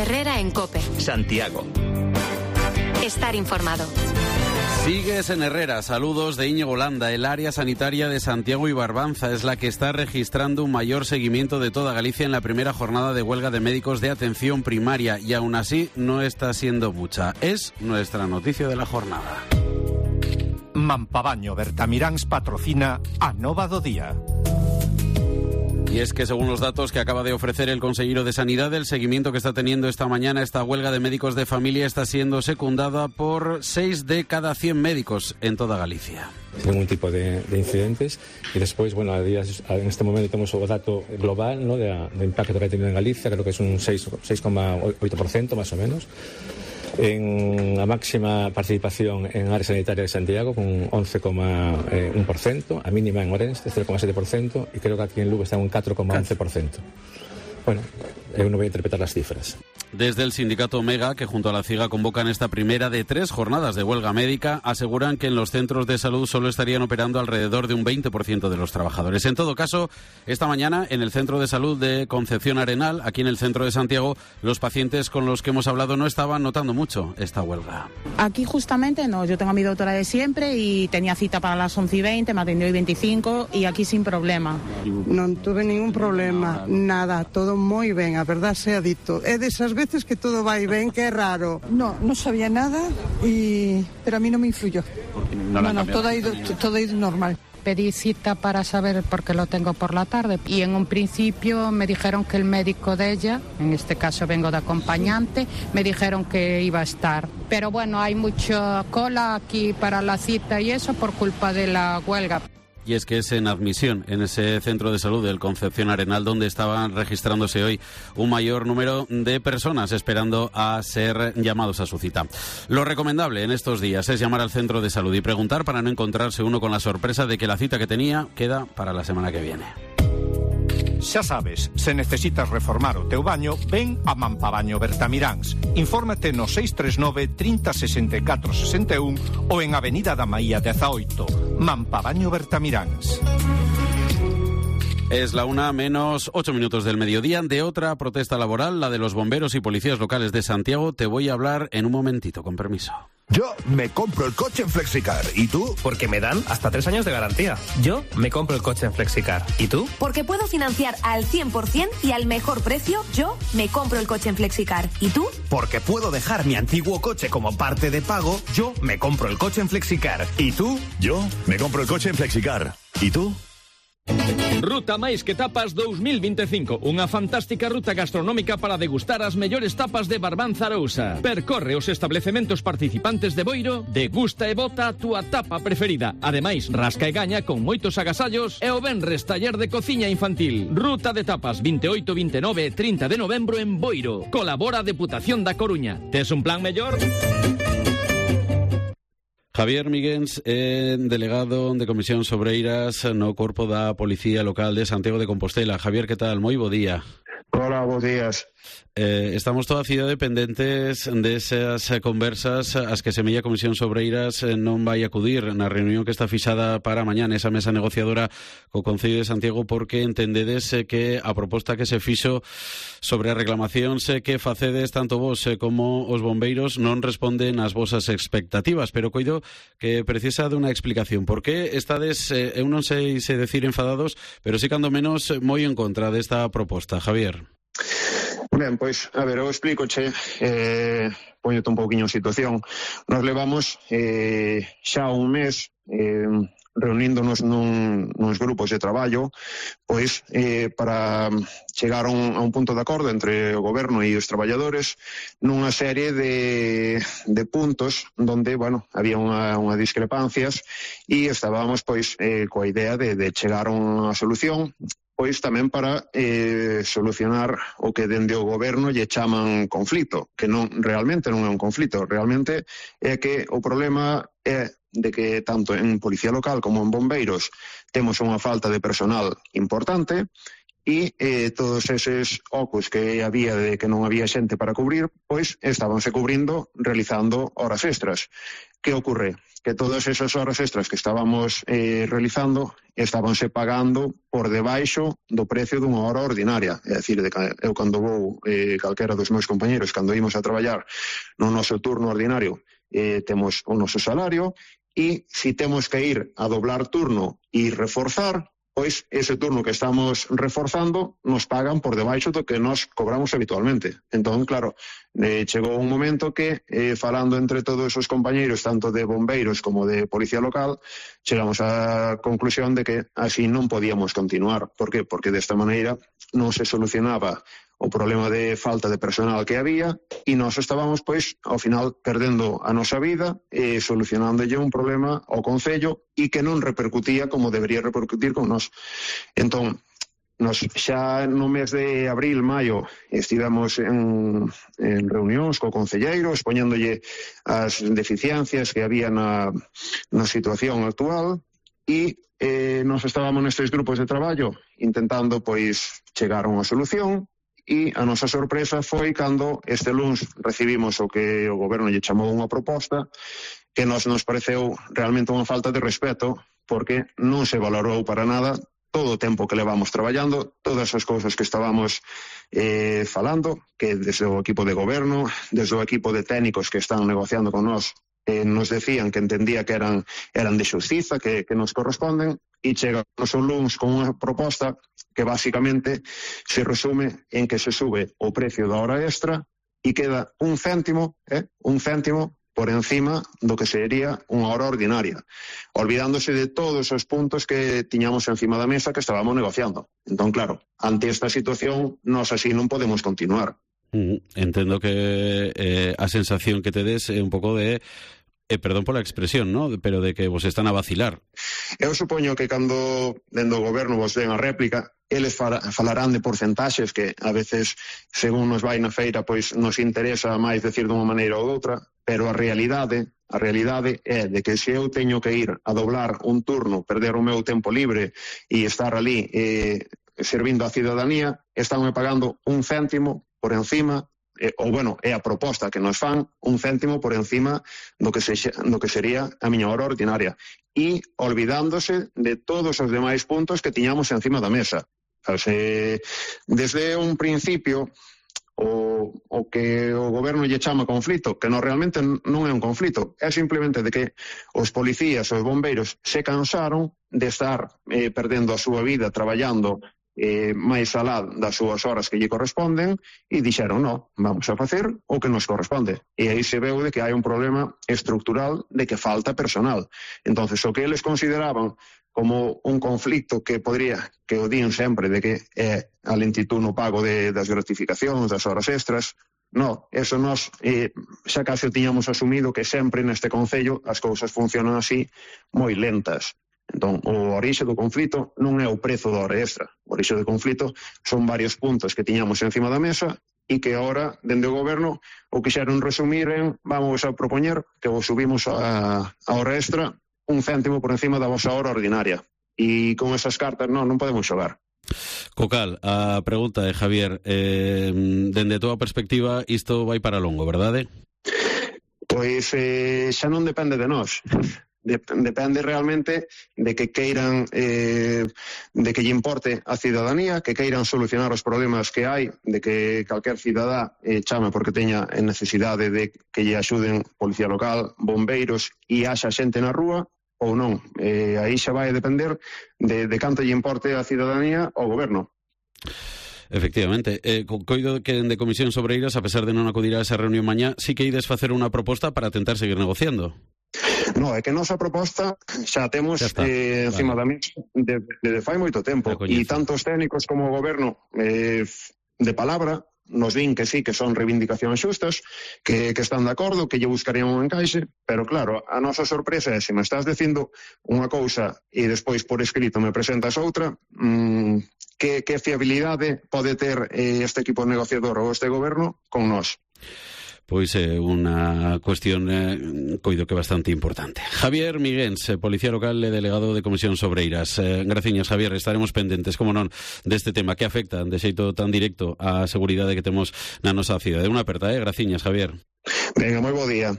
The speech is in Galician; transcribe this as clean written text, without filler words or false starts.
Herrera en COPE. Santiago. Estar informado. Sigues en Herrera. Saludos de Íñigo Landa. El área sanitaria de Santiago y Barbanza es la que está registrando un mayor seguimiento de toda Galicia en la primera jornada de huelga de médicos de atención primaria y aún así no está siendo mucha. Es nuestra noticia de la jornada. Mampabaño Bertamiráns patrocina a Nova do Día. Y es que según los datos que acaba de ofrecer el consejero de Sanidad, el seguimiento que está teniendo esta mañana esta huelga de médicos de familia está siendo secundada por 6 de cada 100 médicos en toda Galicia. Sin ningún tipo de incidentes. Y después, bueno, en este momento tenemos el dato global, ¿no?, de impacto que ha tenido en Galicia, creo que es un 6,8% más o menos. En la máxima participación en área sanitaria de Santiago con 11,1%, a mínima en Orense 0,7% y creo que aquí en Lugo está en un 4,11%. Bueno, uno va a interpretar las cifras. Desde el sindicato Omega, que junto a la CIGA convocan esta primera de 3 jornadas de huelga médica, aseguran que en los centros de salud solo estarían operando alrededor de un 20% de los trabajadores. En todo caso, esta mañana en el Centro de Salud de Concepción Arenal, aquí en el centro de Santiago, los pacientes con los que hemos hablado no estaban notando mucho esta huelga. Aquí justamente no, yo tengo a mi doctora de siempre y tenía cita para las 11:20, me atendió hoy 25 y aquí sin problema. No tuve ningún problema, nada, todo muy bien, a verdad sea dito. É desas veces que todo vai ben, que é raro. No sabía nada, pero a mí no me influyó. Todo ha ido normal. Pedí cita para saber por qué lo tengo por la tarde y en un principio me dijeron que el médico de ella, en este caso vengo de acompañante, me dijeron que iba a estar. Pero bueno, hay mucha cola aquí para la cita y eso por culpa de la huelga. Y es que es en admisión, en ese centro de salud del Concepción Arenal, donde estaban registrándose hoy un mayor número de personas esperando a ser llamados a su cita. Lo recomendable en estos días es llamar al centro de salud y preguntar para no encontrarse uno con la sorpresa de que la cita que tenía queda para la semana que viene. Xa sabes, se necesitas reformar o teu baño, ven a Mampabaño Bertamiráns. Infórmate no 639 30 64 61 ou en Avenida da Maía 18. Mampabaño Bertamiráns. Es la 1:08 del mediodía. De otra protesta laboral, la de los bomberos y policías locales de Santiago, te voy a hablar en un momentito, con permiso. Yo me compro el coche en Flexicar. ¿Y tú? Porque me dan hasta 3 años de garantía. Yo me compro el coche en Flexicar. ¿Y tú? Porque puedo financiar al 100% y al mejor precio. Yo me compro el coche en Flexicar. ¿Y tú? Porque puedo dejar mi antiguo coche como parte de pago. Yo me compro el coche en Flexicar. ¿Y tú? Yo me compro el coche en Flexicar. ¿Y tú? Ruta Máis que Tapas 2025, unha fantástica ruta gastronómica para degustar as mellores tapas de Barbanza Arousa. Percorre os establecementos participantes de Boiro, degusta e bota a túa tapa preferida. Ademais, rasca e gaña con moitos agasallos e o venres taller de cociña infantil. Ruta de Tapas 28, 29 e 30 de novembro en Boiro. Colabora a Deputación da Coruña. Tes un plan mellor? Javier Miguens, delegado de Comisións Obreiras no Corpo da Policía Local de Santiago de Compostela. Javier, que tal? Moi bo día. Hola, bons días. Estamos toda a cidade pendentes desas conversas as que semella Comisións Obreiras non vai acudir na reunión que está fixada para mañana, esa mesa negociadora co Concello de Santiago, porque entendedes que a proposta que se fixo sobre as reclamacións que facedes tanto vos como os bombeiros non responden ás vosas expectativas, pero coido que precisa de unha explicación. Por que estades, eu non sei se decir enfadados, pero sí cando menos moi en contra desta proposta, Javier? Ben, pois, a ver, eu explícoche, poñote un pouquiño en situación. Nos levamos xa un mes reuníndonos nuns grupos de traballo, pois, para chegar a un punto de acordo entre o goberno e os traballadores nunha serie de puntos donde, bueno, había unha discrepancias e estábamos, pois, coa idea de chegar a unha solución, pois tamén para solucionar o que dende o goberno lle chaman conflito, que realmente non é un conflito, realmente é que o problema é de que tanto en Policía Local como en Bombeiros temos unha falta de personal importante e todos eses ocos que había de que non había xente para cubrir, pois estábanse cubrindo realizando horas extras. Que ocorre? Que todas esas horas extras que estábamos realizando estábanse pagando por debaixo do precio dunha hora ordinaria. É dicir, eu cando vou, calquera dos meus compañeros, cando imos a traballar no noso turno ordinario, temos o noso salario, e se temos que ir a doblar turno e reforzar, pois ese turno que estamos reforzando nos pagan por debaixo do que nos cobramos habitualmente. Entón, claro, chegou un momento que, falando entre todos os compañeiros, tanto de bombeiros como de policía local, chegamos á conclusión de que así non podíamos continuar. Por que? Porque desta maneira non se solucionaba o problema de falta de personal que había e nós estábamos, pois, ao final perdendo a nosa vida e solucionándolle un problema ao Concello e que non repercutía como debería repercutir con nós. Entón, nos xa no mes de abril, maio, estivemos en reunións co concelleiro expoñéndolle as deficiencias que había na situación actual e nos estábamos nestes grupos de traballo intentando, pois, chegar a unha solución. E a nosa sorpresa foi cando este luns recibimos o que o goberno lle chamou unha proposta que nos pareceu realmente unha falta de respeto, porque non se valorou para nada todo o tempo que levamos traballando, todas as cousas que estábamos falando, que desde o equipo de goberno, desde o equipo de técnicos que están negociando con nós, nos decían que entendía que eran de xustiza, que nos corresponden, e chegamos un luns con unha proposta que basicamente se resume en que se sube o precio da hora extra e queda un céntimo por encima do que sería unha hora ordinaria, olvidándose de todos os puntos que tiñamos encima da mesa que estábamos negociando. Entón, claro, ante esta situación, nós así non podemos continuar. Entendo que a sensación que tedes é un pouco de perdón pola expresión, ¿no? Pero de que vos están a vacilar. Eu supoño que cando dende o goberno vos den a réplica, eles falarán de porcentaxes que a veces, según nos vai na feira, pois nos interesa máis decir dunha maneira ou doutra, pero a realidade é de que se eu teño que ir a doblar un turno, perder o meu tempo libre e estar ali servindo a cidadanía, estánme pagando un céntimo por encima, é a proposta que nos fan, un céntimo por encima do que sería a miña hora ordinaria, e olvidándose de todos os demais puntos que tiñamos encima da mesa. Desde un principio, o que o goberno lle chama conflito, que realmente non é un conflito, é simplemente de que os policías, os bombeiros se cansaron de estar perdendo a súa vida traballando máis alá das súas horas que lle corresponden e dixeron, non, vamos a facer o que nos corresponde. E aí se veu de que hai un problema estructural de que falta personal. Entonces, o que eles consideraban como un conflicto que o din sempre de que é a lentitud no pago das gratificacións, das horas extras, non, eso nós xa case tiñamos asumido que sempre neste Concello as cousas funcionan así moi lentas. Entón, o orixe do conflito non é o prezo da hora extra. O orixe do conflito son varios puntos que tiñamos encima da mesa e que agora, dende o goberno, o quixeron resumir en vamos a propoñer que vos subimos a hora extra un céntimo por encima da vosa hora ordinaria. E con esas cartas non podemos xogar. Cocal, a pregunta de Javier, dende a túa perspectiva, isto vai para longo, verdade? Pois xa non depende de nós. Depende realmente de que queiran, de que lle importe a cidadanía, que queiran solucionar os problemas que hai, de que calquer cidadá chame porque teña necesidade de que lle axuden policía local, bombeiros e haxa xente na rúa, ou non. Aí xa vai depender de canto lle importe a cidadanía ao goberno. Efectivamente, coido que de Comisións Obreiras, a pesar de non acudir a esa reunión mañá, sí que ides facer unha proposta para tentar seguir negociando. No, é que a nosa proposta xa temos encima da mesa desde fai moito tempo, e tanto os técnicos como o goberno de palabra nos din que sí, que son reivindicacións xustas, que están de acordo, que lle buscarían un encaixe, pero claro, a nosa sorpresa é se me estás dicindo unha cousa e despois por escrito me presentas outra, que fiabilidade pode ter este equipo negociador ou este goberno con nós? pois unha cuestión coido que bastante importante. Javier Miguens, policía local e delegado de Comisión Sobreiras. Graciñas, Javier, estaremos pendentes, como non, deste tema que afecta de xeito tan directo á seguridade que temos na nosa cidade. Unha aperta, graciñas, Javier. Venga, moi bo día.